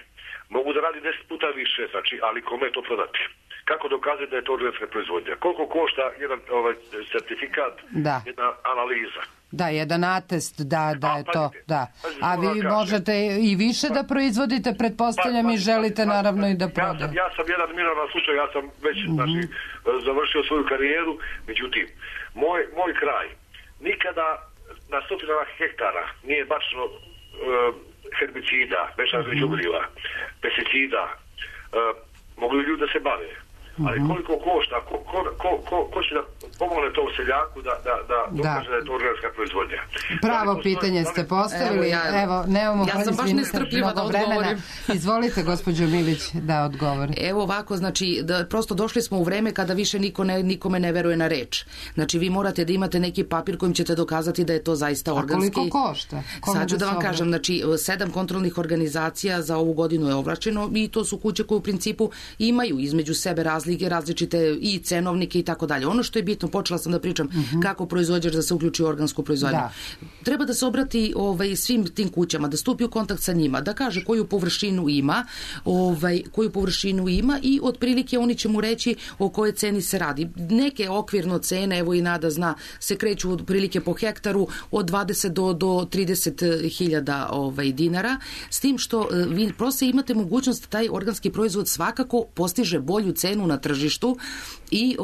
Mogu da radim 10 puta više, znači, ali kome to prodati? Kako dokazati da je to organska proizvodnja? Koliko košta jedan certifikat, jedna analiza? Da, jedan atest, da je to, da. A vi možete i više da proizvodite, pretpostavljam, i želite naravno i da prodate. Ja sam jedan minoran slučaj, ja sam već završio svoju karijeru, međutim, moj kraj nikada na stotinama hektara nije bačeno herbicida, mešanih đubriva, pesticida, mogli ljudi da se bave. Ali koliko košta, ko će da pomogne tom seljaku da dokaže da je to organska proizvodnja? Pravo pitanje ste postavili. Evo, nemamo ja sam baš nestrpljiva da odgovorim. Izvolite, gospođo Milić, da odgovori. Evo ovako, znači, prosto došli smo u vreme kada više nikome ne veruje na reč. Znači, vi morate da imate neki papir kojim ćete dokazati da je to zaista organski. A koliko košta? Sad ću da vam kažem, znači, 7 kontrolnih organizacija za ovu godinu je ovlačeno i to su kuće koje u principu imaju između sebe različite i cenovnike i tako dalje. Ono što je bitno, počela sam da pričam kako proizvođač da se uključi u organsku proizvodnju. Treba da se obrati svim tim kućama, da stupi u kontakt sa njima, da kaže koju površinu ima i otprilike oni će mu reći o kojoj ceni se radi. Neke okvirno cene, evo i Nada zna, se kreću otprilike po hektaru od 20 do 30.000 dinara, s tim što vi prosto imate mogućnost da taj organski proizvod svakako postiže bolju cenu na tržištu i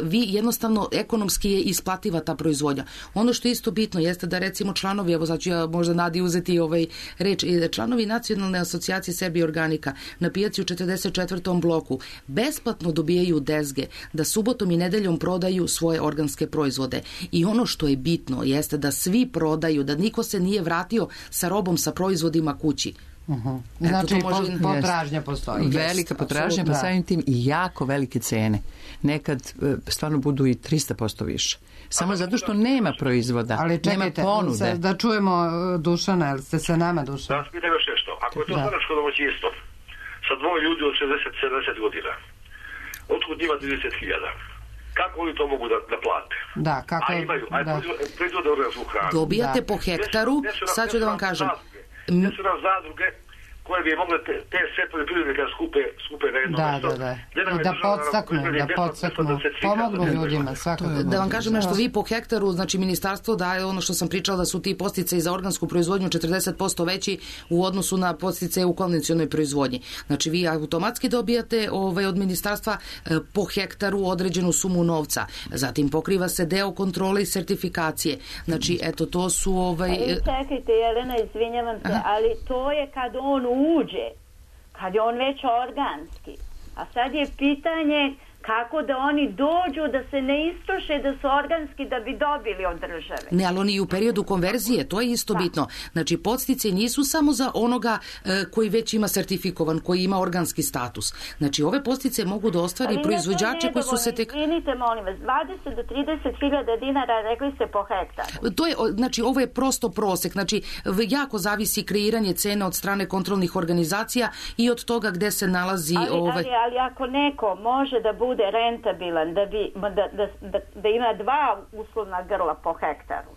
vi jednostavno jednostavno ekonomski je isplativa ta proizvodnja. Ono što je isto bitno jeste da recimo članovi, evo sad ću ja možda Nadi uzeti reč, članovi Nacionalne asocijacije Serbije organika na pijaci u 44. bloku besplatno dobijaju dezge da subotom i nedeljom prodaju svoje organske proizvode. I ono što je bitno jeste da svi prodaju, da niko se nije vratio sa robom, sa proizvodima kući. Znači potražnja postoji. Velika potražnja, pa samim tim i jako velike cene. Nekad stvarno budu i 300% više. Samo zato što nema proizvoda, ali čekajte, nema ponude. Da čujemo Dušana, ili ste sa nama, Dušan? Da, spitam još nešto. Ako je to staračko domaćinstvo sa dvoje ljudi od 60-70 godina, otkud njima 30.000? Kako oni to mogu da plate? Da, kako... A imaju, proizvode organsku hranu. Dobijate po hektaru, sad ću da vam kažem. Gdje su nam zadruge koje bi mogle te sve poljoprivrednike skupe na jedno mjesto. Da podstaknu, pomognu ljudima svakako. Da vam kažem nešto, vi po hektaru, znači ministarstvo daje ono što sam pričala da su ti podsticaji za organsku proizvodnju 40% veći u odnosu na podsticaje u konvencionalnoj proizvodnji. Znači vi automatski dobijate od ministarstva po hektaru određenu sumu novca. Zatim pokriva se deo kontrole i sertifikacije. Znači eto to su Čekajte Jelena, izvinjavam se, ali to je kad on uđe, kad je on već organski. A sad je pitanje kako da oni dođu da se ne istroše da su organski da bi dobili od države. Ne, ali oni i u periodu konverzije, to je isto bitno. Znači, podsticaji nisu samo za onoga koji već ima sertifikovan, koji ima organski status. Znači, ove podsticaje mogu da ostvari proizvođače koji su se tek... Izvinite, molim vas, 20 do 30.000 dinara, rekli ste po hektaru. To je, znači, ovo je prosto prosek. Znači, jako zavisi kreiranje cene od strane kontrolnih organizacija i od toga gde se nalazi... Ali ako neko može da bude rentabilan, da ima 2 uslovna grla po hektaru,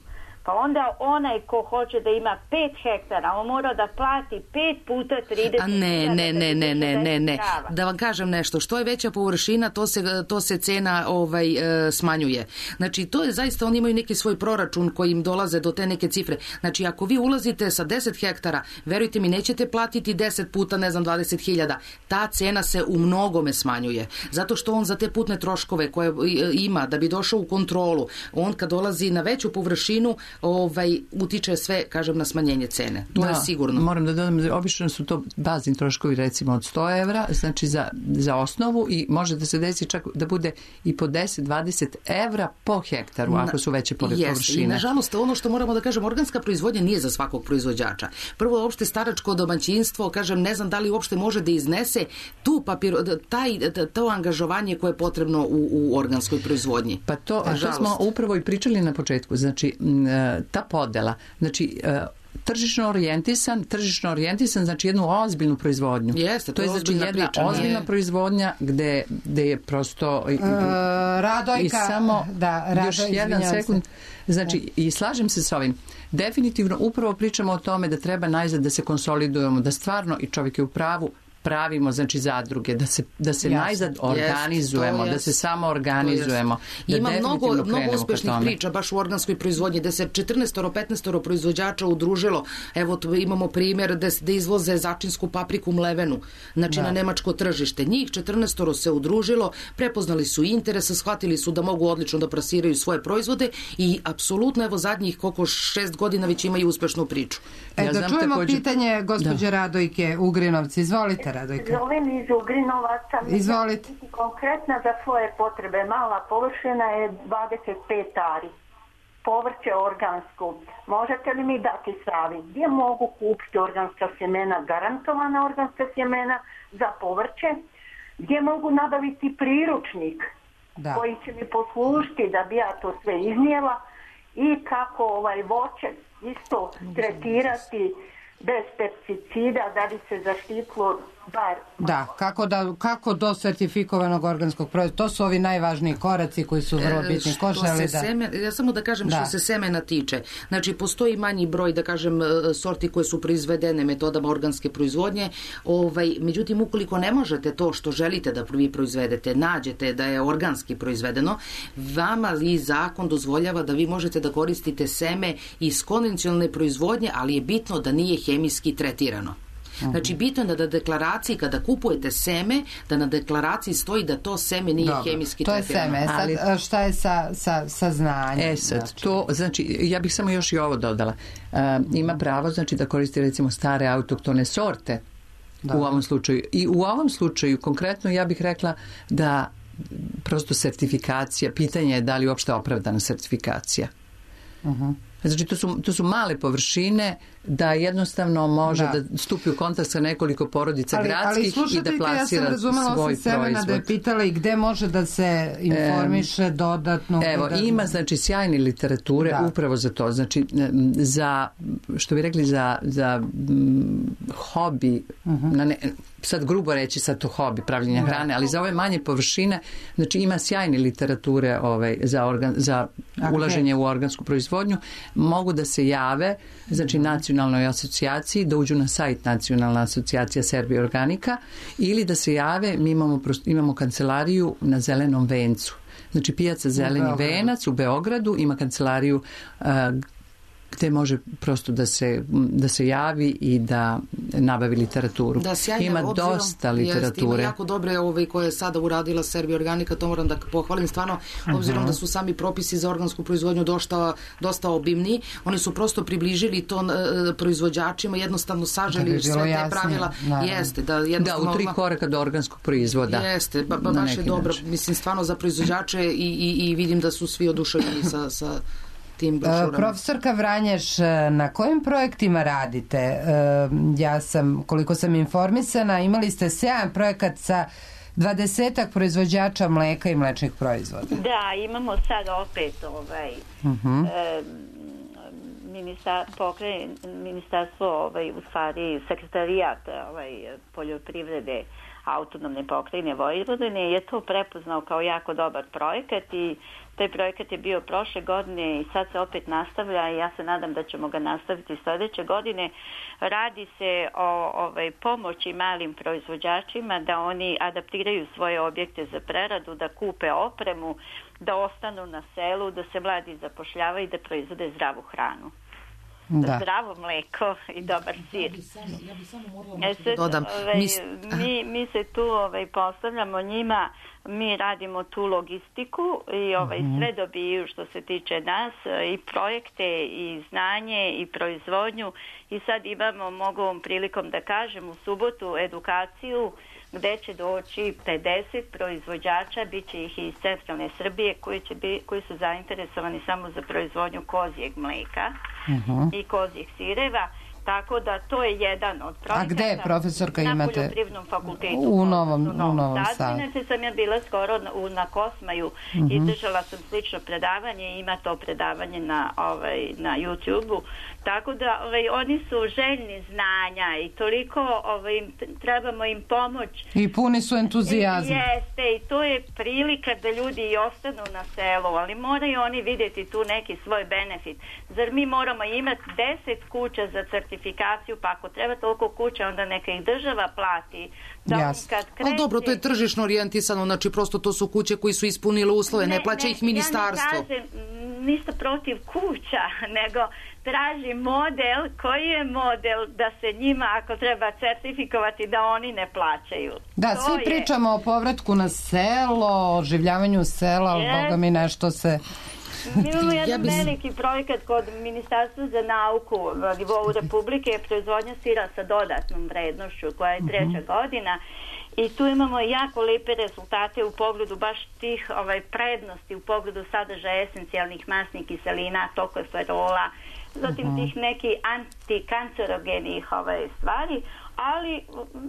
pa onda onaj ko hoće da ima 5 hektara, on mora da plati 5 puta 30. Ne. Da vam kažem nešto, što je veća površina, to se cena smanjuje. Znači, to je zaista, oni imaju neki svoj proračun koji im dolaze do te neke cifre. Znači, ako vi ulazite sa 10 hektara, verujte mi, nećete platiti 10 puta, 20.000. Ta cena se u mnogome smanjuje. Zato što on za te putne troškove koje ima, da bi došao u kontrolu, on kad dolazi na veću površinu, utiče sve, kažem, na smanjenje cene. To je sigurno. Moram da dodam, obično su to bazni troškovi recimo od 100 evra, znači za osnovu i može da se desi čak da bude i po 10-20 evra po hektaru, ako su veće površine. I nažalost, ono što moramo da kažem, organska proizvodnja nije za svakog proizvođača. Prvo, uopšte staračko domaćinstvo, kažem, ne znam da li uopšte može da iznese to angažovanje koje je potrebno u organskoj proizvodnji. Pa to smo upravo i pričali na početku. Znači, ta podela, znači tržišno orijentisan, znači jednu ozbiljnu proizvodnju. Jeste, to je znači jedna ozbiljna proizvodnja gde je prosto Radojka, i samo još jedan sekund. Znači, i slažem se s ovim. Definitivno upravo pričamo o tome da treba najzad da se konsolidujemo, da stvarno, i čovjek je u pravu, pravimo, znači, zadruge, da se najzad organizujemo, da se samo organizujemo. Ima mnogo uspešnih priča baš u organskoj proizvodnji, da se 14-15 proizvođača udružilo. Evo, imamo primjer da izvoze začinsku papriku mlevenu, znači na nemačko tržište. Njih 14 se udružilo, prepoznali su interes, shvatili su da mogu odlično da plasiraju svoje proizvode i apsolutno, evo, zadnjih 6 godina već imaju uspešnu priču. Da čujemo pitanje gospođe Radojke Ugrinovci. Izvolite, Radojka. Zovem iz Ugrinovaca. Izvolite. Konkretna za svoje potrebe. Mala površina je 25 ari. Povrće organsko. Možete li mi dati savjet? Gdje mogu kupiti organska sjemena, garantovana organska sjemena za povrće? Gdje mogu nabaviti priručnik koji će mi poslužiti da bi ja to sve iznijela? I kako voće isto tretirati bez pesticida da bi se zaštitilo bar... Da, kako do sertifikovanog organskog proizvoda. To su ovi najvažniji koraci koji su vrlo bitni. Ja samo da kažem što se semena tiče. Znači, postoji manji broj, da kažem, sorti koje su proizvedene metodama organske proizvodnje. Međutim, ukoliko ne možete to što želite da vi proizvedete, nađete da je organski proizvedeno, vama i zakon dozvoljava da vi možete da koristite seme iz konvencionalne proizvodnje, ali je bitno da nije hemijski tretirano. Znači, bitno je da na deklaraciji, kada kupujete seme, da na deklaraciji stoji da to seme nije hemijski tretirano. To je seme. Sad, šta je sa znanjem? Znači, ja bih samo još i ovo dodala. Ima pravo, znači, da koristi, recimo, stare autoktone sorte u ovom slučaju. I u ovom slučaju, konkretno, ja bih rekla da prosto sertifikacija, pitanje je da li uopšte opravdana sertifikacija. Znači, to su male površine da jednostavno može da stupi u kontakt sa nekoliko porodica gradskih i da plasira svoj proizvod. Da je pitala i gde može da se informiše dodatno. Evo, ima znači sjajne literature upravo za to. Znači, za, što bi rekli, za hobi, sad grubo reći sad to hobi pravljenja hrane, ali za ove manje površine, znači ima sjajne literature za ulaženje u organsku proizvodnju. Mogu da se jave, znači nacionalnoj asocijaciji, da uđu na sajt Nacionalna asocijacija Serbia Organika, ili da se jave, mi imamo kancelariju na Zelenom vencu. Znači pijaca Zeleni venac u Beogradu ima kancelariju gde može prosto da se javi i da nabavi literaturu. Ima dosta literature. Ima jako dobre koje je sada uradila Serbia Organika, to moram da pohvalim stvarno, obzirom da su sami propisi za organsku proizvodnju dosta obimni. Oni su prosto približili to proizvođačima, jednostavno saželi sve te pravila. Jeste, da u 3 koraka do organskog proizvoda. Jeste, baš je dobro. Mislim, stvarno za proizvođače i vidim da su svi oduševljeni sa Profesorka Vranješ, na kojim projektima radite? Ja sam, koliko sam informisana, imali ste sjajan projekat sa 20-ak proizvođača mleka i mlečnih proizvoda. Da, imamo sad opet ministarstvo, u stvari sekretarijat poljoprivrede autonomne pokrajine Vojvodine je to prepoznao kao jako dobar projekat i taj projekat je bio prošle godine i sad se opet nastavlja i ja se nadam da ćemo ga nastaviti sljedeće godine. Radi se o pomoći malim proizvođačima da oni adaptiraju svoje objekte za preradu, da kupe opremu, da ostanu na selu, da se mladi zapošljavaju i da proizvode zdravu hranu. Zdravo mleko i dobar sir. Ja bi samo morala dodam. Mi se tu postavljamo njima, mi radimo tu logistiku i sve dobiju što se tiče nas, i projekte i znanje i proizvodnju, i sad imamo, mogu ovom prilikom da kažem, u subotu edukaciju gde će doći 50 proizvođača, bit će ih iz centralne Srbije koji su zainteresovani samo za proizvodnju kozijeg mleka i kozijeg sireva. Tako da to je jedan od projekata. A gde je, profesorka, imate? Na Poljoprivrednom fakultetu. U Novom Sadu. Inače sam ja bila skoro na Kosmaju i držala sam slično predavanje, ima to predavanje na YouTube-u. Tako da oni su željni znanja i toliko trebamo im pomoć. I puni su entuzijazma. Jeste, i to je prilika da ljudi i ostanu na selu, ali moraju oni vidjeti tu neki svoj benefit. Zar mi moramo imati 10 kuća za certifikaciju, pa ako treba toliko kuća, onda neka ih država plati. Ali dobro, to je tržišno orijentisano, znači prosto to su kuće koji su ispunile uslove, ne plaća ih ministarstvo. Ja ne kažem ništa protiv kuća, nego traži model, koji je model da se njima, ako treba certifikovati, da oni ne plaćaju. Da, to svi pričamo o povratku na selo, o oživljavanju sela, ali Boga mi nešto se... Mi imamo jedan veliki projekat kod Ministarstva za nauku na nivou Republike, proizvodnja sira sa dodatnom vrednošću, koja je 3. godina, i tu imamo jako lepe rezultate u pogledu baš tih prednosti, u pogledu sadržaja esencijalnih masnih kiselina, tokoferola, zatim tih nekih antikancerogenih stvari, ali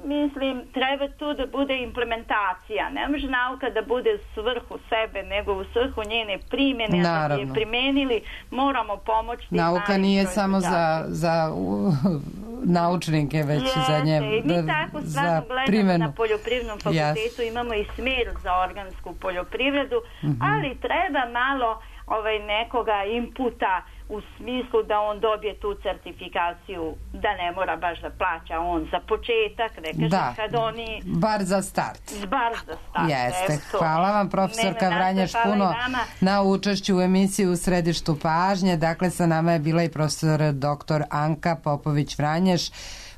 mislim treba tu da bude implementacija. Ne može nauka da bude u svrhu sebe, nego u svrhu njene primjene. Da bi je primenili, moramo pomoći. Nauka nije samo za naučnike, već za nje. I mi tako stvarno gledamo na Poljoprivrednom fakultetu, imamo i smjer za organsku poljoprivredu, ali treba malo nekoga inputa u smislu da on dobije tu certifikaciju, da ne mora baš da plaća on za početak, ne kažem kad oni... Bar za start. Jeste. Eto. Hvala vam, profesorka Vranješ, puno na učešću u emisiji U središtu pažnje. Dakle, sa nama je bila i profesor dr. Anka Popović Vranješ,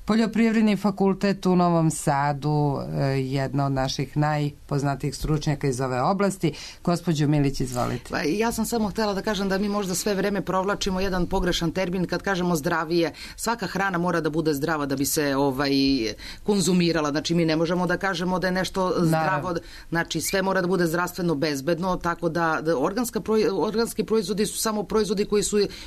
Poljoprivredni fakultet u Novom Sadu, jedna od naših najpoznatijih stručnjaka iz ove oblasti. Gospođo Milić, izvolite. Ja sam samo htjela da kažem da mi možda sve vreme provlačimo jedan pogrešan termin kad kažemo zdravije. Svaka hrana mora da bude zdrava da bi se konzumirala. Znači mi ne možemo da kažemo da je nešto zdravo. Znači sve mora da bude zdravstveno bezbedno, tako da organski proizvodi su samo proizvodi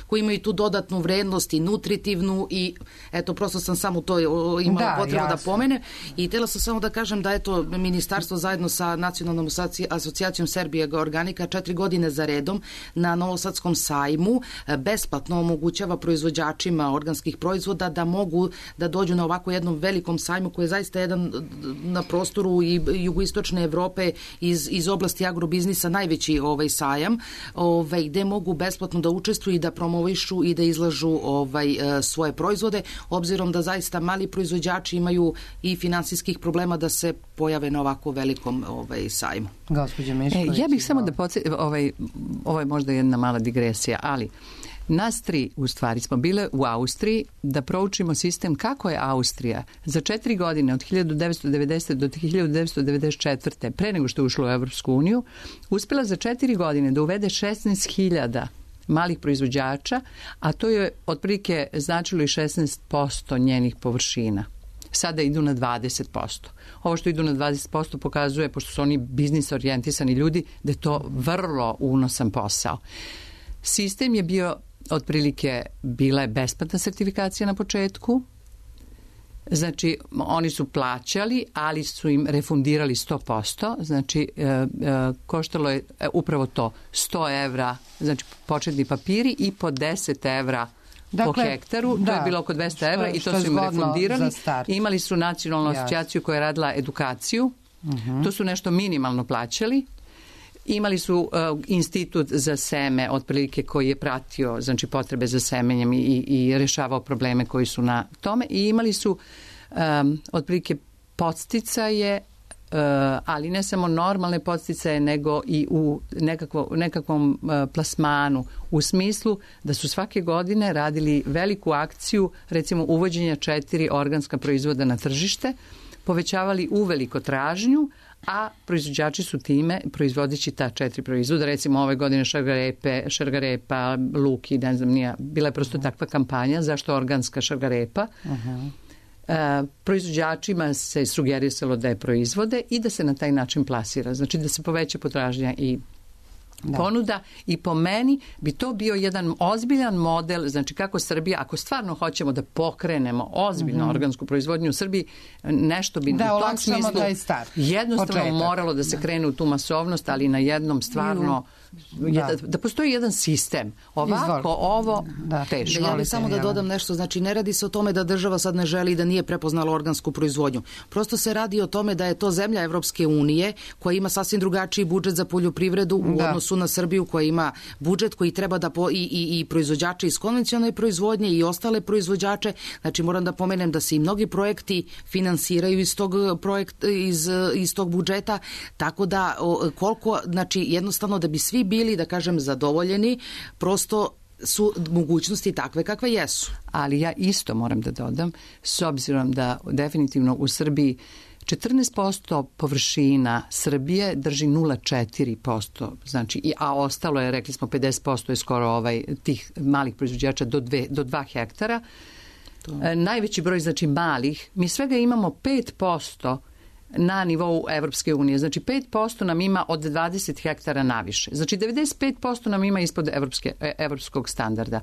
koji imaju tu dodatnu vrednost i nutritivnu i eto, prosto sam samo to imala potrebu da pomene. I htjela sam samo da kažem da eto, ministarstvo zajedno sa Nacionalnom asocijacijom Serbije organika 4 godine za redom na Novosadskom sajmu besplatno omogućava proizvođačima organskih proizvoda da mogu da dođu na ovako jednom velikom sajmu koji je zaista jedan na prostoru i jugoistočne Evrope iz oblasti agrobiznisa najveći sajam, gde mogu besplatno da učestvuju i da promovišu i da izlažu svoje proizvode, obzirom da zaista mali proizvođači imaju i finansijskih problema da se pojave na ovako velikom sajmu. Gospođa Mišković. Ja bih samo da ovo je možda jedna mala digresija, ali nas tri u stvari smo bile u Austriji da proučimo sistem kako je Austrija za 4 godine od 1990. do 1994. pre nego što je ušlo u Evropsku uniju uspjela za 4 godine da uvede 16.000 malih proizvođača, a to je otprilike značilo i 16% njenih površina. Sada idu na 20%. Ovo što idu na 20% pokazuje, pošto su oni biznis orijentisani ljudi, da je to vrlo unosan posao. Sistem je bio otprilike, bila je besplatna sertifikacija na početku. Znači, oni su plaćali, ali su im refundirali 100%. Znači, koštalo je upravo to 100 evra, znači početni papiri i po 10 evra po hektaru. To je bilo oko 200 evra i to su im refundirali. Imali su nacionalnu asocijaciju koja je radila edukaciju. To su nešto minimalno plaćali. Imali su institut za seme, otprilike koji je pratio znači potrebe za semenjem i rešavao probleme koji su na tome. I imali su otprilike podsticaje, ali ne samo normalne podsticaje, nego i u nekakvom plasmanu, u smislu da su svake godine radili veliku akciju, recimo uvođenja 4 organska proizvoda na tržište, povećavali uveliko tražnju, a proizvođači su time, proizvodeći ta 4 proizvoda, recimo ove godine šargarepa, luk i ne znam nija, bila je prosto takva kampanja, zašto organska šargarepa. Proizvođačima se sugerisalo da je proizvode i da se na taj način plasira, znači da se poveća potražnja i ponuda i po meni bi to bio jedan ozbiljan model, znači kako Srbija, ako stvarno hoćemo da pokrenemo ozbiljno organsku proizvodnju u Srbiji, nešto bi u tom smislu jednostavno moralo da se krene u tu masovnost, ali na jednom stvarno da postoji jedan sistem. Ovako, ovo teško. Ja bih samo da dodam nešto, znači ne radi se o tome da država sad ne želi da nije prepoznala organsku proizvodnju. Prosto se radi o tome da je to zemlja Evropske unije koja ima sasvim drugačiji budžet za poljoprivredu u odnosu na Srbiju koja ima budžet koji treba da i proizvođače iz konvencionalne proizvodnje i ostale proizvođače. Znači moram da pomenem da se i mnogi projekti finansiraju iz tog budžeta, tako da koliko, znači jednostavno da bi svi bili, da kažem, zadovoljeni, prosto su mogućnosti takve kakve jesu. Ali ja isto moram da dodam, s obzirom da definitivno u Srbiji 14% površina Srbije drži 0,4%, znači, a ostalo je, rekli smo, 50% je skoro tih malih proizvođača do 2 hektara. Najveći broj, znači, malih, mi svega imamo 5% na nivou Evropske unije. Znači 5% nam ima od 20 hektara naviše. Znači 95% nam ima ispod evropskog standarda.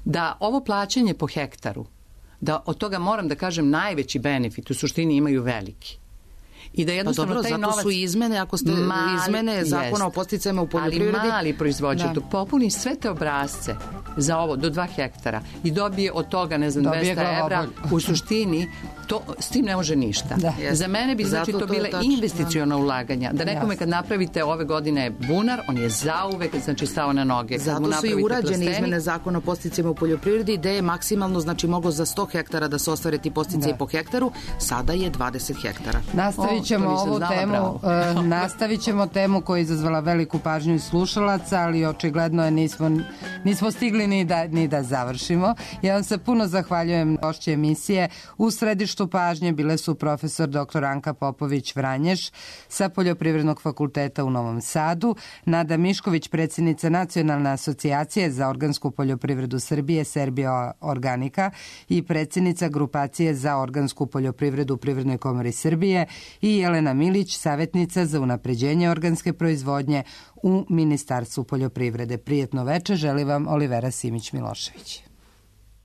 Da ovo plaćanje po hektaru, da od toga moram da kažem najveći benefit u suštini imaju veliki. I da jednostavno taj novac... Zato su izmene, ako ste izmene zakona o podsticajima u poljoprivredi... Ali mali proizvođač popuni sve te obrazce za ovo do 2 hektara i dobije od toga, ne znam, 200 evra, u suštini s tim ne može ništa. Za mene bi znači to bile investiciona ulaganja. Da nekome kad napravite ove godine bunar, on je zauvek znači stao na noge. Zato su i urađene izmene zakona o podsticajima u poljoprivredi gde je maksimalno znači moglo za 100 hektara da se ostvare ti podsticaji po hektaru, sada je 20 hektara. Nastavit ćemo temu koja je izazvala veliku pažnju slušalaca, ali očigledno je nismo nismo stigli ni da završimo. Ja vam se puno zahvaljujem. Gošće emisije u središtu pažnje bile su profesor dr. Anka Popović-Vranješ sa Poljoprivrednog fakulteta u Novom Sadu, Nada Mišković, predsjednica Nacionalne asocijacije za organsku poljoprivredu Srbije, Serbia Organika, i predsjednica Grupacije za organsku poljoprivredu u Privrednoj komori Srbije, i Jelena Milić, savjetnica za unapređenje organske proizvodnje u Ministarstvu poljoprivrede. Prijetno veče želi vam Olivera Simić-Milošević.